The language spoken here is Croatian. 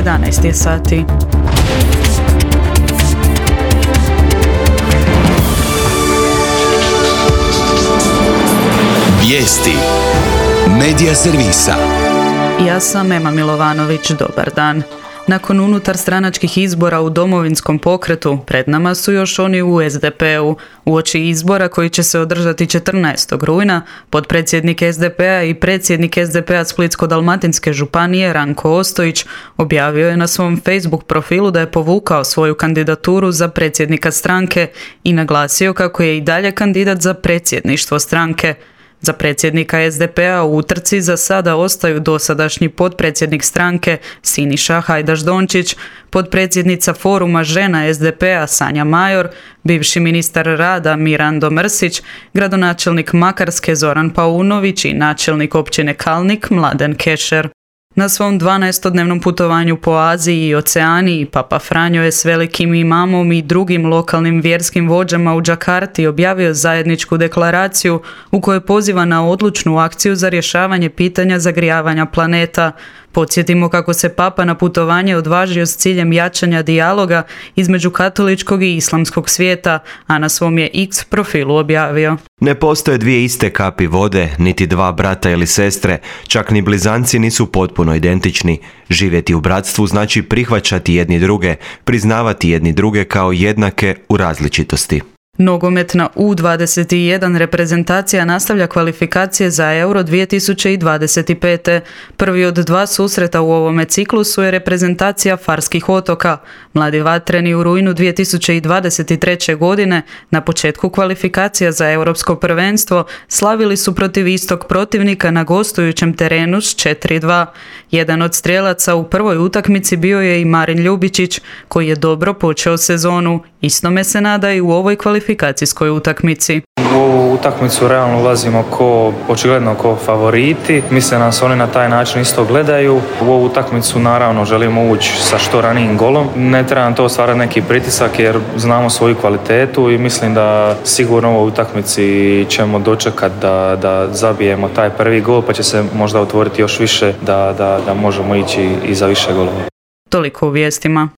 11 je sati. Vijesti Medija servisa. Ja sam Ema Milovanović, dobar dan. Nakon unutarstranačkih izbora u Domovinskom pokretu, pred nama su još oni u SDP-u. Uoči izbora koji će se održati 14. rujna, potpredsjednik SDP-a i predsjednik SDP-a Splitsko-dalmatinske županije Ranko Ostojić objavio je na svom Facebook profilu da je povukao svoju kandidaturu za predsjednika stranke i naglasio kako je i dalje kandidat za predsjedništvo stranke. Za predsjednika SDP-a u utrci za sada ostaju dosadašnji potpredsjednik stranke Siniša Hajdaš Dončić, potpredsjednica foruma žena SDP-a Sanja Major, bivši ministar rada Mirando Mrsić, gradonačelnik Makarske Zoran Paunović i načelnik općine Kalnik Mladen Kešer. Na svom 12-dnevnom putovanju po Aziji i Oceaniji, Papa Franjo je s velikim imamom i drugim lokalnim vjerskim vođama u Džakarti objavio zajedničku deklaraciju u kojoj poziva na odlučnu akciju za rješavanje pitanja zagrijavanja planeta. Podsjetimo kako se Papa na putovanje odvažio s ciljem jačanja dijaloga između katoličkog i islamskog svijeta, a na svom je X profilu objavio: Ne postoje dvije iste kapi vode, niti dva brata ili sestre, čak ni blizanci nisu potpuno identični. Živjeti u bratstvu znači prihvaćati jedni druge, priznavati jedni druge kao jednake u različitosti. Nogometna U21 reprezentacija nastavlja kvalifikacije za Euro 2025. Prvi od dva susreta u ovome ciklusu je reprezentacija Farskih otoka. Mladi vatreni u rujnu 2023. godine na početku kvalifikacija za europsko prvenstvo slavili su protiv istog protivnika na gostujućem terenu s 4-2. Jedan od strijelaca u prvoj utakmici bio je i Marin Ljubičić, koji je dobro počeo sezonu. Istome se nada i u ovoj kvalifikacijskoj utakmici. U ovu utakmicu realno ulazimo očigledno ko favoriti. Mislim da nas oni na taj način isto gledaju. U ovu utakmicu naravno želimo ući sa što ranijim golom. Ne treba nam to stvarati neki pritisak jer znamo svoju kvalitetu i mislim da sigurno u ovoj utakmici ćemo dočekati da zabijemo taj prvi gol, pa će se možda otvoriti još više da možemo ići i za više golova. Toliko u vijestima.